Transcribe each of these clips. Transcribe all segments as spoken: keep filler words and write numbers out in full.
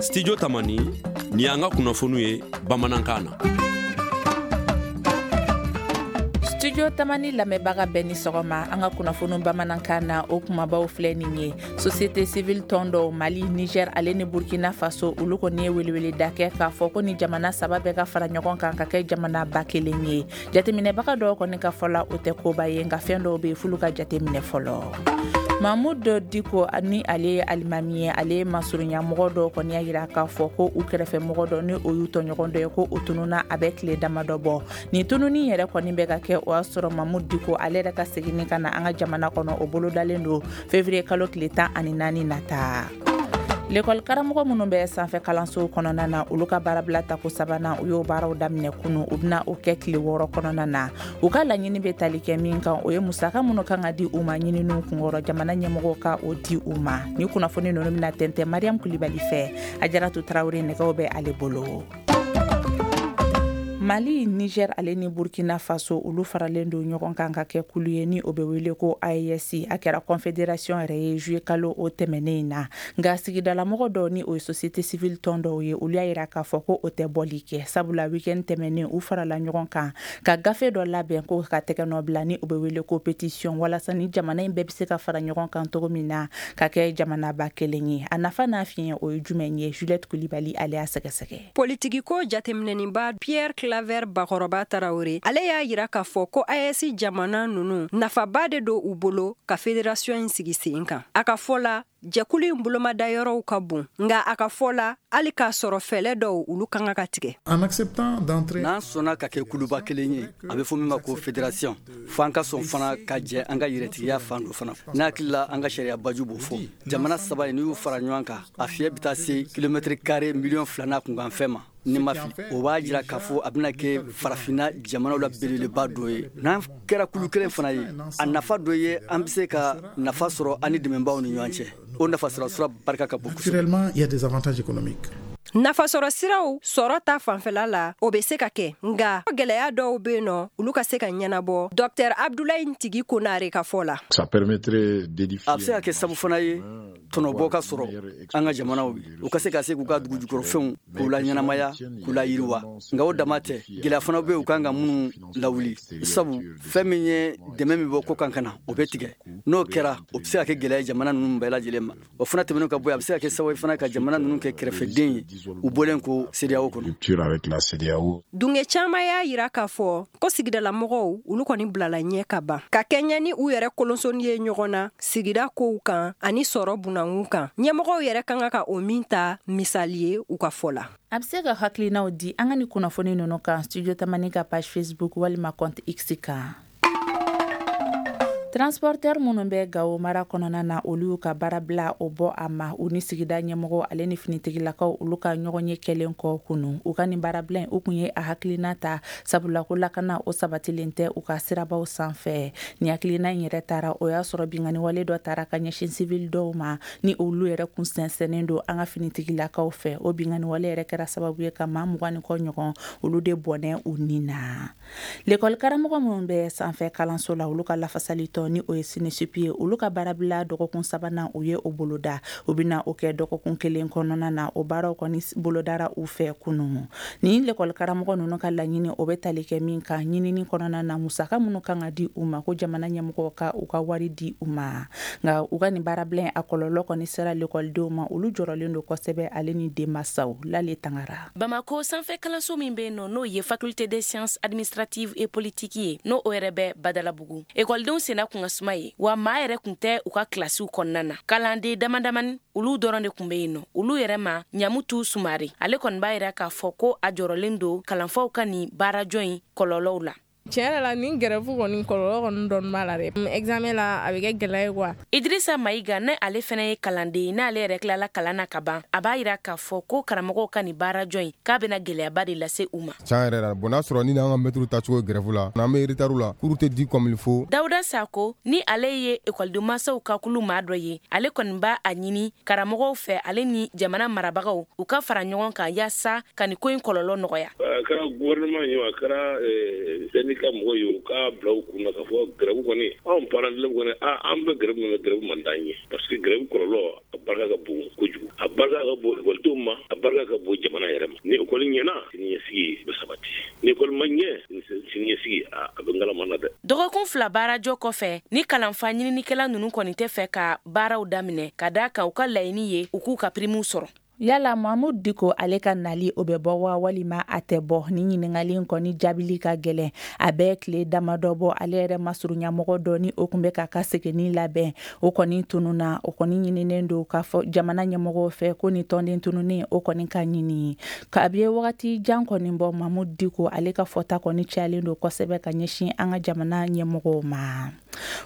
Studio Tamani, ni y'an ka kunnafoniw ye bamanankan na. Studio Tamani lamɛnbaga bɛɛ ni sɔgɔma. An ka kunnafoni bamanankan na, o kumabaw filɛ nin ye: société civile tɔn dɔw Mali, Niger ale ni Burkina Faso, olu kɔni ye weleweleda kɛ k'a fɔ ko ni jamana saba bɛɛ ka fara ɲɔgɔn kan ka kɛ jamana ba kelen ye. Jateminɛbaga dɔw kɔni ka fɔ la, o tɛ koba ye, nka fɛn dɔw bɛ yen f'olu ka jateminɛ fɔlɔ. Mahmoud Dicko, ni ale ye alimami ye, ale ye masurunya mɔgɔ dɔw kɔni y'a yira k'a fɔ ko u kɛrɛfɛ mɔgɔ dɔ, ni o y'u tɔɲɔgɔn dɔ ye, ko o tununa a bɛ tile damadɔ bɔ. Nin tununi yɛrɛ kɔni bɛ ka kɛ, o y'a sɔrɔ Mahmoud Dicko ale yɛrɛ ka seginni ka na an ka jamana kɔnɔ, o bolodalen don février kalo tile tan ani naani nata. Lekɔli karamɔgɔ minnu bɛ sanfɛ kalansow kɔnɔna na, olu ka baarabila tako sabanan, u y'o baaraw daminɛ kunu. U bɛna o kɛ tile wɔɔrɔ kɔnɔna na. U ka laɲini bɛ tali kɛ min kan, o ye musaka minnu kan ka di u ma ɲininiw kunkɔrɔ, jamana ɲɛmɔgɔw ka o di u ma. Ni kunnafoni ninnu bɛna tɛntɛn Mariam Kulibali fɛ. Ajaratu Tarawele nɛgɛw bɛ ale bolo. Mali, Niger ale ni Burkina Faso, olu faralen don ɲɔgɔn kan ka kɛ kulu ye ni o bɛ wele ko A E S. A kɛra confédération yɛrɛ ye juillet kalo o tɛmɛnen in na. Nka sigidalamɔgɔ dɔw, ni o ye société civile tɔn dɔw ye, olu y'a yira k'a fɔ ko o tɛ bɔli kɛ, sabula week-end tɛmɛnen, u farala ɲɔgɔn kan ka gafe dɔ labɛn ko ka tɛgɛ nɔ bila, ni o bɛ wele ko pétition, walasa ni jamana in bɛɛ bɛ se ka fara ɲɔgɔn kan cogo min na ka kɛ jamanaba kelen ye. A nafa n'a fiɲɛ, o ye jumɛn ye? Juliette Kulibali ale y'a sɛgɛsɛgɛ. Politikiko jateminɛniba Pierre Claver Bakɔrɔba Tarawele, ale y'a yira k'a fɔ ko A E S jamana ninnu, nafaba de don u bolo ka fédération in sigi sen kan. A ka fɔ la, jɛkulu in bolomada yɔrɔw ka bon, nka a ka fɔ la, hali k'a sɔrɔ fɛɛlɛ dɔw, olu kan ka tigɛ. N'an sɔnna ka kɛ kuluba kelen ye, a bɛ fɔ min ma ko fédération, fo an ka sɔn fana ka jɛ an ka yɛrɛtigiya fan dɔ fana. N'a hakili la, an ka sariya baju b'o fɔ. Jamana saba in, n'u y'u fara ɲɔgɔn kan, a fiɲɛ bɛ taa se kilomɛtiri kare miliyɔn fila n'a kunkan fɛn ma, ni ma fili. O b'a jira k'a fɔ a bɛna kɛ farafinna jamanaw la belebeleba dɔ ye. N'an kɛra kulu kelen fana ye, a nafa dɔ ye, an bɛ se ka nafa sɔrɔ an ni dɛmɛbaaw ni ɲɔgɔn cɛ. O nafa sɔrɔ sira barika ka bon. Naturellement, il y a des avantages économiques. Nafasɔrɔ siraw sɔrɔ ta fanfɛla la, o bɛ se ka kɛ, nka gɛlɛya dɔw bɛ yen nɔ, olu ka se ka ɲɛnabɔ, Docteur Abdulayi Ntigi Konare ka fɔ la. Ça permettrait d'édifier A bɛ se ka kɛ sabu fana ye tɔnɔbɔ ka sɔrɔ an ka jamanaw ye, u ka se ka se k'u ka dugujukɔrɔfɛnw k'u la ɲɛnamaya, k'u la yiriwa. Nka o dama tɛ, gɛlɛya fana bɛ yen u kan ka minnu lawuli, sabu fɛn min ye dɛmɛ min bɔ ko kan ka na, o bɛ tigɛ. N'o kɛra, o bɛ se ka kɛ gɛlɛya ye jamana ninnu bɛɛ lajɛlen ma. O fana tɛmɛnen ka bɔ yen, a bɛ se ka kɛ sababu ye fana ka jamana ninnu kɛ kɛrɛfɛden ye u bɔlen ko CEDEAO kɔnɔ. Rupture avec la CEDEAO. Dunge caman y'a yira k'a fɔ ko sigidalamɔgɔw, olu kɔni bilala ɲɛ ka ban ka kɛɲɛ ni u yɛrɛ kolonsoni ye ɲɔgɔn na sigida kow kan ani sɔrɔ bunankun kan, ɲɛmɔgɔw yɛrɛ kan ka ka o min ta misali ye, u ka fɔ la. A bɛ se ka hakilinaw di an ka ni kunnafoni ninnu kan Studio Tamani ka page Facebook walima compte X kan. Transporteur minnu bɛ Gawo mara kɔnɔna na, olu y'u ka baara bila o bɔ a ma, u ni sigida ɲɛmɔgɔ ale ni finitigilakaw, olu ka ɲɔgɔn ye kɛlen kɔ kunu. U ka nin baarabila in, u kun ye a hakilina ta sabula ko lakana o sabatilen tɛ u ka sirabaw sanfɛ. Ni hakilina in yɛrɛ taara, o y'a sɔrɔ binkanni wale dɔ taara ka ɲɛsin civil dɔw ma, ni olu yɛrɛ kun sɛnsɛnnen don an ka finitigilakaw fɛ. O binkanni wale yɛrɛ kɛra sababu ye ka maa mugan ni kɔ ɲɔgɔn, olu de bɔnɛ u ni na. Lekɔli karamɔgɔ minnu bɛ sanfɛ kalanso la, olu ka lafasali tɔn, ni o ye SYNESUP ye, olu ka baarabila dɔgɔkun sabanan, u ye o boloda. U bɛna o kɛ dɔgɔkun kelen kɔnɔna na. O baaraw kɔni bolodara u fɛ kunun. Ni lekɔli karamɔgɔ ninnu ka laɲini, o bɛ tali kɛ min kan, ɲinini kɔnɔna na, musaka minnu kan ka di u ma, ko jamana ɲɛmɔgɔw ka u ka wari di u ma. Nka u ka nin baarabila in, a kɔlɔlɔ kɔni sera lekɔlidenw ma. Olu jɔrɔlen don kosɛbɛ, ale ni denmansaw. Lale Tangara. Bamako sanfɛ kalanso min bɛ yen nɔ, n'o ye Faculté des sciences administratives et politiques ye, n'o o yɛrɛ bɛ Badalabugu, ekɔlidenw senna kun ka suma ye wa, maa yɛrɛ kun tɛ u ka kilasiw kɔnɔna na. Kalanden dama damani, olu dɔrɔn de kun be yen nɔ. Olu yɛrɛ ma Ɲamutu Sumare, ale kɔni b'a yira k'a fɔ ko a jɔrɔlen don kalanfaw ka nin baarajɔ in kɔlɔlɔw la. Tiɲɛ yɛrɛ la, nin grève kɔni kɔlɔlɔ kɔni dɔɔni b'a la dɛ. Examen la, a bɛ kɛ gɛlɛya ye quoi. Idrissa Mayiga, ne ale fɛnɛ ye kalanden ye, n'ale yɛrɛ tilala kalan na ka ban, a b'a yira k'a fɔ ko karamɔgɔw ka nin baarajɔ in, k'a bɛna gɛlɛyaba de lase u ma. Tiɲɛ yɛrɛ la, bon, n'a sɔrɔ ni n'an ka mɛtiriw tacogo grève la, n'an bɛ retard la, cours tɛ di comme il faut. Dawuda Sako, ni ale ye ekɔliden mansaw ka kulu maa dɔ ye, ale kɔni b'a a ɲini karamɔgɔw fɛ, ale ni jamana marabagaw, u ka fara ɲɔgɔn kan yaasa ka nin ko in kɔlɔlɔ nɔgɔya. A kɛra gouvernement ye, a kɛra syndicat. ka mɔgɔw ye u k'a bila u kun na k'a fɔ grève kɔni anw parents d'élèves kɔni an bɛ grève min na grève man d'an ye parce que grève kɔlɔlɔ a barika ka bon kojugu, a barika ka bon ekɔlidenw ma, a barika ka bon jamana yɛrɛ ma. Ni ekɔli ɲɛna, siniɲɛsigi bɛ sabati, ni ekɔli ma ɲɛ, siniɲɛsigi a bɛ ngalama na dɛ. Dɔgɔkun fila baarajɔ kɔfɛ, ni kalanfa ɲininikɛla ninnu kɔni tɛ fɛ ka baaraw daminɛ ka d'a kan u ka laɲini ye u k'u ka primiw sɔrɔ. Yala Mahmoud Dicko ale ka nali o bɛ bɔ wa walima a tɛ bɔ? Ni ɲininkali in kɔni jaabili ka gɛlɛn. A bɛ tile damadɔ bɔ, ale yɛrɛ masurunya mɔgɔ dɔ ni o tun bɛ k'a ka seginni labɛn, o kɔni tununna. O kɔni ɲininen don k'a fɔ jamana ɲɛmɔgɔw fɛ ko ni tɔnden tununnen o kɔni ka ɲini. Kabi wagati jan kɔni bɔ, Mahmoud Dicko ale ka fɔta kɔni cayalen don kosɛbɛ ka ɲɛsin an ka jamana ɲɛmɔgɔw ma.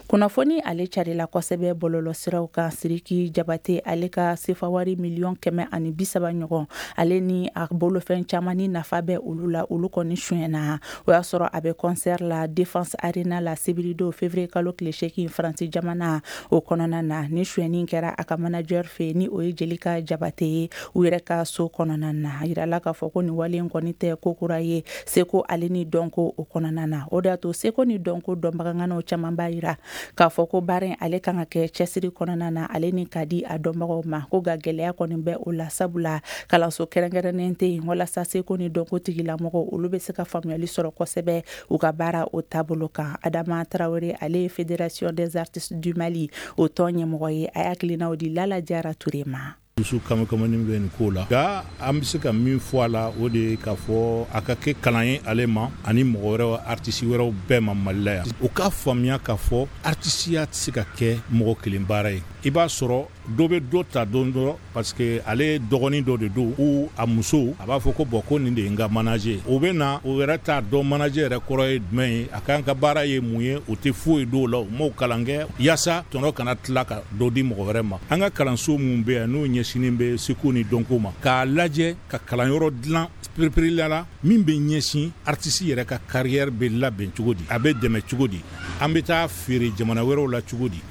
Kunnafoni ale carila kosɛbɛ bɔlɔlɔsiraw kan, Siriki Jabate ale ka sefawari miliyɔn kɛmɛ ani bi saba ɲɔgɔn, ale ni a bolofɛn caman ni nafa bɛ olu la, olu kɔni suyɛnna. O y'a sɔrɔ a bɛ concert la Défense Arena la sibiridon février kalo tile seegin, Faransi jamana o kɔnɔna na. Ni suyɛnni kɛra a ka manager fɛ, ni o ye Jelika Jabate ye, u yɛrɛ ka so kɔnɔna na. A yirala k'a fɔ ko nin wale in kɔni tɛ ko kura ye seko ale ni dɔnko o kɔnɔna na. O de y'a to seko ni dɔnko dɔnbagaŋanaw caman b'a yira k'a fɔ ko baara in ale kan ka kɛ cɛsiri kɔnɔna na, ale ni ka di a dɔnbagaw ma ko nka gɛlɛya kɔni bɛ o la, sabula kalanso kɛrɛnkɛrɛnnen tɛ yen walasa seko ni dɔnko tigilamɔgɔw olu bɛ se ka faamuyali sɔrɔ kosɛbɛ u ka baara o taabolo kan. Adama Tarawele, ale ye Fédération des artistes du Mali o tɔn ɲɛmɔgɔ ye, a y'a hakilinaw di Lala Jara Ture ma. Dusu kamikamani bɛ nin ko la, nka an bɛ se ka min fɔ a la, o de ye k'a fɔ a ka kɛ kalan ye ale ma ani mɔgɔ wɛrɛw, artiste wɛrɛw bɛɛ ma Mali la yan, u k'a faamuya k'a fɔ artisiya tɛ se ka kɛ mɔgɔ kelen baara ye. I b'a sɔrɔ dɔ bɛ dɔ ta don dɔ parce que ale dɔgɔnin dɔ de don ou a muso, a b'a fɔ ko bon, ko nin de ye n ka manager. O bɛ na, o yɛrɛ t'a dɔn manager yɛrɛ kɔrɔ ye jumɛn ye, a kan ka baara ye mun ye, o tɛ foyi dɔw la. U m'o kalan kɛ yaasa tɔnɔ kana tila ka dɔ di mɔgɔ wɛrɛ ma. An ka kalanso mun bɛ yan n'o ɲɛsinnen bɛ seko ni dɔnko ma, k'a lajɛ ka kalanyɔrɔ dilan pereperela la min bɛ ɲɛsin artiste yɛrɛ ka carrière bɛ labɛn cogo di, a bɛ dɛmɛ cogo di, an bɛ taa feere jamana wɛrɛw la cogo di.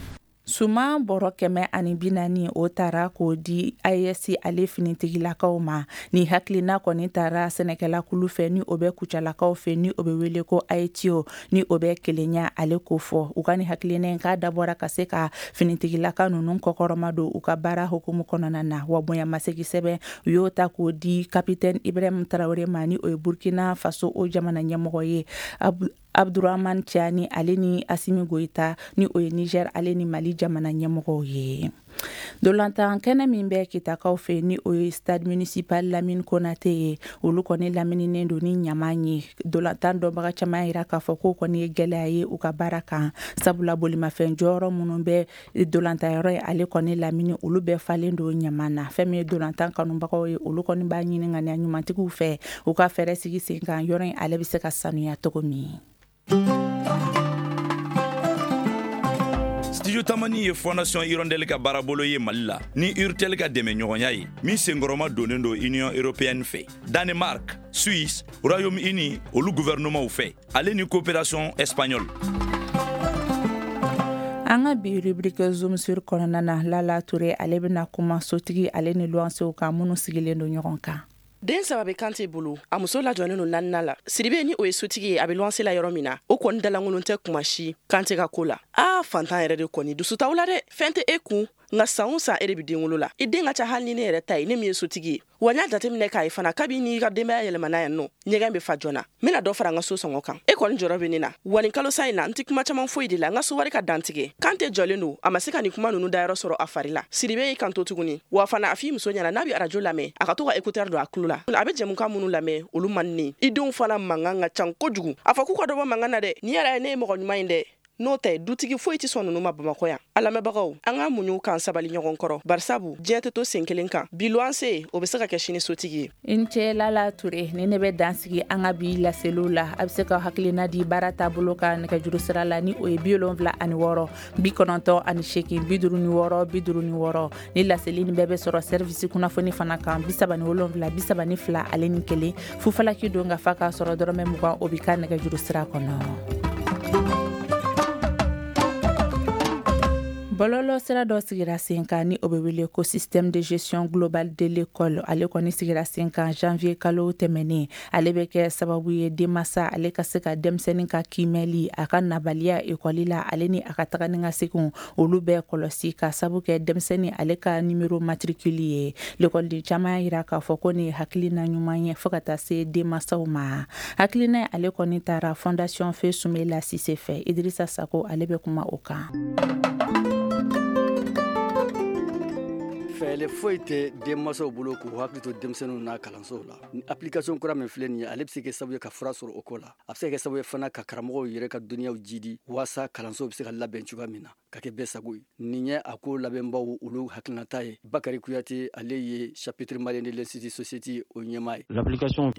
Suman bɔrɔ kɛmɛ ani bi naani o taara k'o di A E S ale finitigilakaw ma. Ni hakilina kɔni taara sɛnɛkɛlakulu fɛ, ni o bɛ Kucalakaw fɛ, ni o bɛ wele ko A E T O, ni o bɛ kelenya ale ko fɔ. U ka ni hakilina in k'a dabɔra ka se ka finitigilaka ninnu kɔkɔrɔma don u ka baara hukumu kɔnɔna na. Wa bonyamasegi sɛbɛn, u y'o ta k'o di capitaine Ibrahim Tarawele ma, ni o ye Burkina Faso o jamana ɲɛmɔgɔ ye, Abdurahman Tiani ale ni Asimi Goyita, ni o ye Niger ale ni Mali jamana ɲɛmɔgɔw ye. Dolantan kɛnɛ min bɛ Kitakaw fɛ, ni o ye stade municipal Lamine Konate ye, olu kɔni lamininen don ni ɲama ye. Dolantan dɔnbaga caman yira k'a fɔ k'o kɔni ye gɛlɛya ye u ka baara kan, sabula bolimafɛn jɔyɔrɔ minnu bɛ dolantanyɔrɔ ye ale kɔni lamini, olu bɛɛ falen don ɲama na. Fɛn min ye dolantan kanubagaw ye, olu kɔni b'a ɲini ŋaniya ɲumantigiw fɛ u ka fɛɛrɛ sigi sen kan yɔrɔ in ale bɛ se ka sanuya cogo min. Studio Tamani ye Fondation Hirondelle ka baarabolo ye Mali la ni Urtel ka dɛmɛ ɲɔgɔnya ye, min senkɔrɔma donnen don Union européenne fɛ, Danemark, Suisse, Royaume-Uni olu gouvernementw fɛ, ale ni coopération espagnole. An ka bi rubrique Zoom sur kɔnɔna na, Lala Ture ale bɛna kuma sotigi ale ni luwansew kan minnu sigilen don ɲɔgɔn kan. Den saba bɛ Kante bolo, a muso lajɔlen don naaninan la. Siribe, ni o ye sotigi ye, a bɛ luwanse la yɔrɔ min na, o kɔni dalankolon tɛ kuma si Kante ka ko la. Aa, fantan yɛrɛ de kɔni, dusu t'aw la dɛ. Fɛn tɛ e kun, nka san o san e de bɛ den wolo la. I den ka ca hali ni ne yɛrɛ ta ye, ne min ye sotigi ye. Wa n y'a jateminɛ k'a ye fana, kabi n'i ka denbaya yɛlɛmana yan nɔ, ɲɛgɛn bɛ fa joona. N bɛna dɔ fara n ka so sɔngɔ kan, e kɔni jɔrɔ bɛ ne na. Wa nin kalo sa in na, n tɛ kuma caman foyi de la, n ka so wari ka dantigɛ. Kante jɔlen don, a ma se ka nin kuma ninnu dayɔrɔ sɔrɔ a fari la. Siribe y'i kanto tuguni. Wa fana, a f'i muso ɲɛna, n'a bɛ arajo lamɛn, a ka to ka écouteur don a tulo la. A bɛ jɛmukan minnu lamɛn, olu man di ne. I denw fana mankan ka ca kojugu, a fɔ k'u ka dɔ bɔ mankan na dɛ. Nin yɛrɛ ye ne ye mɔgɔ ɲuman ye dɛ, n'o tɛ dutigi foyi tɛ sɔn ninnu ma Bamakɔ yan. A lamɛnbagaw, an ka muɲu k'an sabali ɲɔgɔn kɔrɔ, barisabu diɲɛ tɛ to sen kelen kan. Bi luwanse, o bɛ se ka kɛ sini sotigi ye. I ni ce Lala Ture. Ni ne bɛ dan sigi an ka bi laseliw la. A bɛ se ka hakilina di baara taabolo kan nɛgɛjuru sira la, ni o ye bi wolonwula ani wɔɔrɔ bi kɔnɔntɔn ani seegin bi duuru ni wɔɔrɔ bi duuru ni wɔɔrɔ. Ni laseli nin bɛɛ bɛ sɔrɔ service kunnafoni fana kan, bi saba ni wolonwula bi saba ni fila ale ni kelen fufalaki don ka fa k'a sɔrɔ dɔrɔmɛ mugan o bi ka nɛgɛjuru sira kɔnɔ. Bɔlɔlɔ sira dɔ sigira sen kan ni o bɛ wele ko système de gestion globale de l'école. Ale kɔni sigira sen kan janvier kalo tɛmɛnen. Ale bɛ kɛ sababu ye denmasa ale ka se ka denmisɛnnin ka kiimɛli, a ka nabaliya ekɔli la, ale ni a ka taga ni ka seginw olu bɛɛ kɔlɔsi ka sabu kɛ denmisɛnnin ale ka numéro matricule ye. Lekɔliden caman y'a jira k'a fɔ ko nin ye hakilina ɲuman ye fo ka taa se denmasaw ma. Hakilina ale kɔni taara Fondation Feu Soumaïla Cissé fɛ. Idrissa Sako ale bɛ kuma o kan. Fɛɛrɛ foyi tɛ denmansaw bolo k'u hakili to denmisɛnninw n'a kalansow la. Ni application kura min filɛ nin ye, ale bɛ se kɛ sababu ye ka fura sɔrɔ o ko la. A bɛ se ka kɛ sababu ye fana ka karamɔgɔw yɛrɛ ka dɔnniyaw jidi waasa kalansow bɛ se ka labɛn cogoya min na ka kɛ bɛɛ sago ye. Nin ye a ko labɛnbaw olu hakilinata ye. Bakari Kuyate, ale ye chapitre malien de l'Institut Société o ɲɛmaa ye.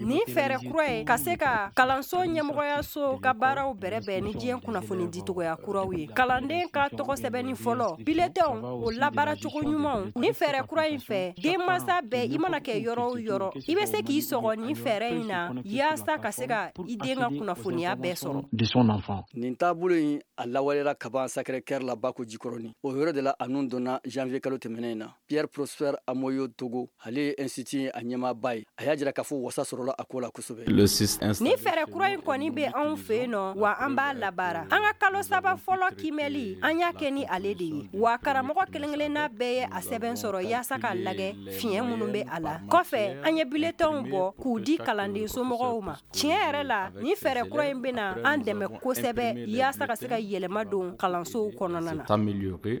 Nin fɛɛrɛ kura ye ka se ka kalanso ɲɛmɔgɔyaso ka baaraw bɛrɛbɛn ni diɲɛ kunnafoni dicogoya kuraw ye. Kalanden ka tɔgɔ sɛbɛnni fɔlɔ, bulletinw o labaaracogo ɲumanw. Ni fɛɛrɛ kura in fɛ, denmansa bɛɛ i mana kɛ yɔrɔ o yɔrɔ, i bɛ se k'i sɔgɔ nin fɛɛrɛ in na yaasa ka se ka i den ka kunnafoniya bɛɛ sɔrɔ. Nin taabolo in a lawaleyara kaban Sacré-Cœur la Bako Jikɔrɔni. O yɔrɔ de la a nun donna janvier kalo tɛmɛnen in na. Pierre Prosper Amoyo Togo, ale ye institut a ɲɛmaaba ye. A y'a jira k'a fɔ wasa sɔrɔla a ko la kosɛbɛ. Nin fɛɛrɛ kura in kɔni bɛ anw fɛ yen nɔ, wa an b'a labaara. An ka kalo saba fɔlɔ kiimɛli, an y'a kɛ ni ale de ye. Wa karamɔgɔ kelen-kelenna bɛɛ ye a sɛbɛn sɔrɔ yaasa k'a lajɛ fiɲɛ minnu bɛ a la. Kɔfɛ, an ye bulletinw bɔ k'u di kalanden somɔgɔw ma. Tiɲɛ yɛrɛ la, nin fɛɛrɛ kura in bɛna an dɛmɛ kosɛbɛ yaasa ka se ka yɛlɛma don kalansow kɔnɔna na.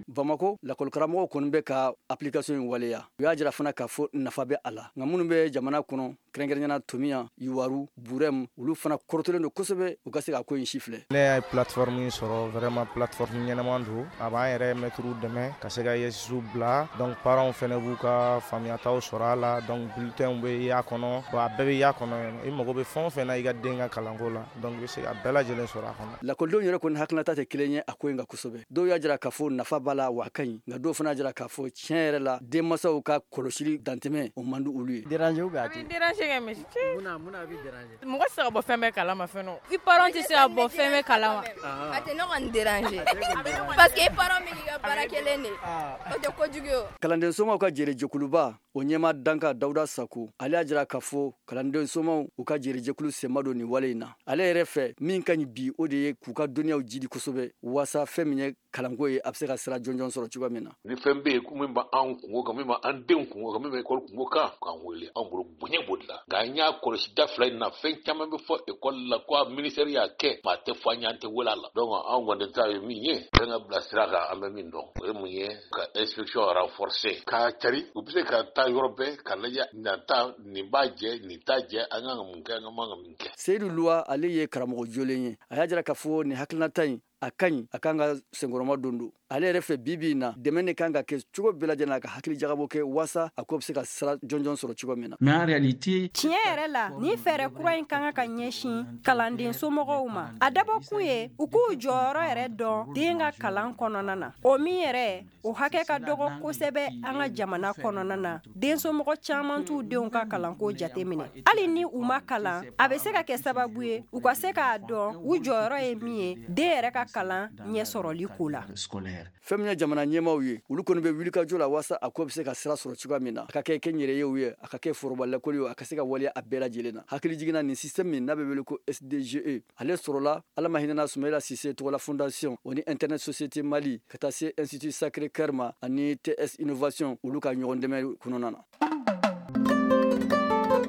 Bamakɔ lakɔlikaramɔgɔw kɔni bɛ ka application in waleya. U y'a jira fana k'a fɔ nafa bɛ a la. Nka minnu bɛ jamana kɔnɔ, kɛrɛnkɛrɛnnenya Tomiya, Yuwaru, Burɛmu, olu fana kɔrɔtɔlen don kosɛbɛ u ka se ka ko in si filɛ. Ne y'a plateforme in sɔrɔ, vraiment plateforme ɲɛnama don. A b'an yɛrɛ mɛtiriw dɛmɛ ka se ka I S bila. Donc parents fɛnɛ b'u ka faamuyataw sɔrɔ a la. Donc bulletinw bɛ y'a kɔnɔ, bon a bɛɛ bɛ y'a kɔnɔ. I mago bɛ fɛn o fɛn na i ka den ka kalanko la, donc i bɛ se ka bɛɛ lajɛlen sɔrɔ a kɔnɔ. Lakɔlidenw yɛrɛ kɔni hakilinata tɛ kelen ye a ko in kan kosɛbɛ. Dɔw y'a jira k'a fɔ nafa b'a la wa a ka ɲi, nka dɔw fana y'a jira k'a fɔ tiɲɛ yɛrɛ la denmansaw ka kɔlɔsili dantɛmɛ o man di olu ye. Déranger ou bien a tɛ déranger kɛ mais mun na b'i déranger? Mɔgɔ tɛ se ka bɔ fɛn bɛɛ kalama fɛnɛ. I parents tɛ se ka bɔ fɛn bɛɛ kalama. A tɛ ne kɔni déranger parce que i parents bɛ k'i ka baara kelen de, o tɛ kojugu ye o. Kalanden somaw ka jɛrɛjɛkuluba o ɲɛmaa danka Dawuda Sako, ale y'a jira k'a fɔ kalanden somaw u ka jɛrɛjɛkulu senma don nin wale in na. Ale yɛrɛ fɛ min ka ɲi bi, o de ye k'u ka dɔnniyaw jidi kosɛbɛ waasa fɛn min ye kalanko ye a bɛ se ka sira jɔnjɔn sɔrɔ cogoya min na. Ni fɛn bɛ yen ko min b'an kungo kan, min b'an denw kungo kan, min bɛ ekɔli kungo kan, k'an wele, anw bolo bonya b'o de la. Nka an y'a kɔlɔsi da fila in na, fɛn caman bɛ fɔ ekɔli la ko ministère y'a kɛ, maa tɛ fɔ an ye, an tɛ wele a la. Donc anw kɔni ta ye min ye, fɛn ka bila sira kan, an bɛ min dɔn o ye mun ye, ka inspection renforcer, k'a cari, u bɛ se ka taa yɔrɔ bɛɛ ka lajɛ nin ta nin b'a jɛ, nin t'a jɛ, an kan ka mun kɛ, an man ka min kɛ. Seyidu Luwa, ale ye karamɔgɔ jolen ye. A y'a jira k'a fɔ nin hakilinata in a ka ɲi, a kan ka senkɔrɔma don don. Ale yɛrɛ fɛ bi bi in na, dɛmɛ de kan ka kɛ cogo bɛɛ lajɛlen na ka hakili jagabɔ kɛ waasa a ko bɛ se ka sira jɔnjɔn sɔrɔ cogo min na. Mais en réalité, tiɲɛ yɛrɛ la, nin fɛɛrɛ kura in kan ka ɲɛsin kalanden somɔgɔw ma. A dabɔkun ye u k'u jɔyɔrɔ yɛrɛ dɔn den ka kalan kɔnɔna na. O min yɛrɛ, o hakɛ ka dɔgɔ kosɛbɛ an ka jamana kɔnɔna na. Den somɔgɔ caman t'u denw ka kalanko jateminɛ. Hali ni u ma kalan, a bɛ se ka kɛ sababu ye u ka se k'a dɔn u jɔyɔrɔ ye min ye den yɛrɛ ka kalan ɲɛ sɔrɔli ko la. Fɛn min ye jamana ɲɛmaaw ye, olu kɔni bɛ wulikajɔ la waasa a ko bɛ se ka sira sɔrɔ cogoya min na. A ka kɛ kɛnyɛrɛyew ye, a ka kɛ foroba lakɔli ye, a ka se ka waleya a bɛɛ lajɛlen na. Hakili jiginna nin système min n'a bɛ wele ko S D G E, ale sɔrɔla Ala ma hinɛna Soumaïla Cissé tɔgɔla fondation o ni Internet Société Mali ka taa se Institut Sacré Cœur ma ani T S Innovation olu ka ɲɔgɔn dɛmɛ kɔnɔna na.